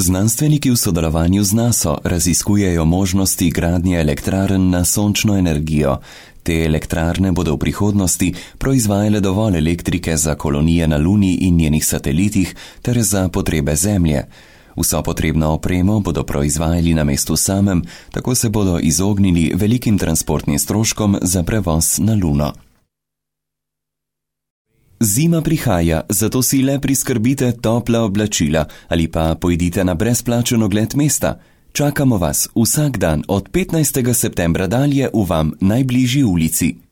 Znanstveniki v sodelovanju z NASA raziskujejo možnosti gradnje elektrarn na sončno energijo. Te elektrarne bodo v prihodnosti proizvajale dovolj elektrike za kolonije na Luni in njenih satelitih ter za potrebe Zemlje. Vso potrebno opremo bodo proizvajali na mestu samem, tako se bodo izognili velikim transportnim stroškom za prevoz na Luno. Zima prihaja, zato si le priskrbite topla oblačila ali pa pojdite na brezplačen ogled mesta. Čakamo vas vsak dan od 15. septembra dalje v vam najbližji ulici.